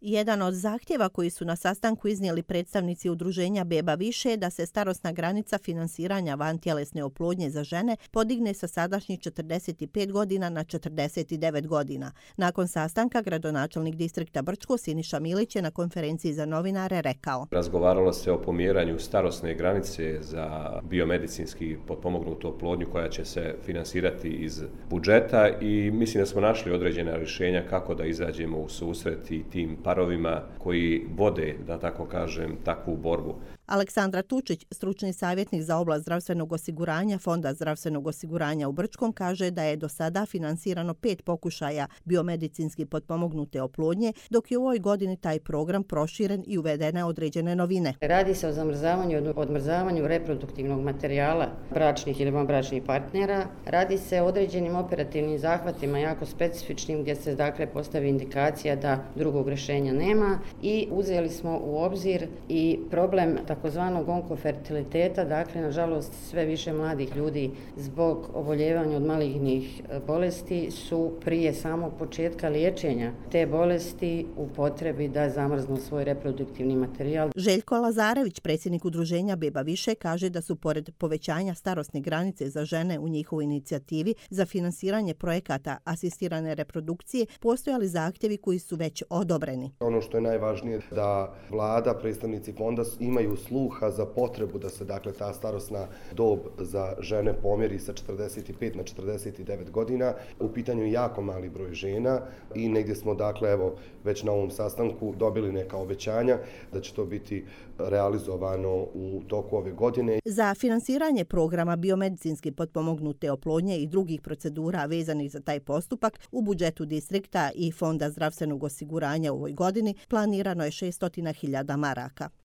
Jedan od zahtjeva koji su na sastanku iznijeli predstavnici udruženja Beba više je da se starosna granica finansiranja vantjelesne oplodnje za žene podigne sa sadašnjih 45 godina na 49 godina. Nakon sastanka gradonačelnik distrikta Brčko Siniša Milić je na konferenciji za novinare rekao: Razgovaralo se o pomjeranju starosne granice za biomedicinski potpomognutu oplodnju koja će se finansirati iz budžeta i mislim da smo našli određena rješenja kako da izađemo u susret i tim parovima koji vode, da tako kažem, takvu borbu. Aleksandra Tučić, stručni savjetnik za oblast zdravstvenog osiguranja Fonda zdravstvenog osiguranja u Brčkom, kaže da je do sada finansirano 5 pokušaja biomedicinski potpomognute oplodnje, dok je u ovoj godini taj program proširen i uvedene određene novine. Radi se o zamrzavanju i odmrzavanju reproduktivnog materijala bračnih ili vanbračnih partnera. Radi se o određenim operativnim zahvatima jako specifičnim gdje se dakle postavi indikacija da drugog rješenja nema i uzeli smo u obzir i problem takozvanog onkofertiliteta, dakle, nažalost, sve više mladih ljudi zbog oboljevanja od malignih bolesti su prije samog početka liječenja te bolesti u potrebi da zamrznu svoj reproduktivni materijal. Željko Lazarević, predsjednik udruženja Beba više, kaže da su pored povećanja starosne granice za žene u njihovoj inicijativi za finansiranje projekata asistirane reprodukcije postojali zahtjevi koji su već odobreni. Ono što je najvažnije da vlada, predstavnici fonda imaju sluha za potrebu da se dakle ta starosna dob za žene pomjeri sa 45 na 49 godina. U pitanju je jako mali broj žena i negdje smo dakle evo već na ovom sastanku dobili neka obećanja da će to biti realizovano u toku ove godine. Za finansiranje programa biomedicinski potpomognute oplodnje i drugih procedura vezanih za taj postupak u budžetu distrikta i Fonda zdravstvenog osiguranja u ovoj godini planirano je 600.000 maraka.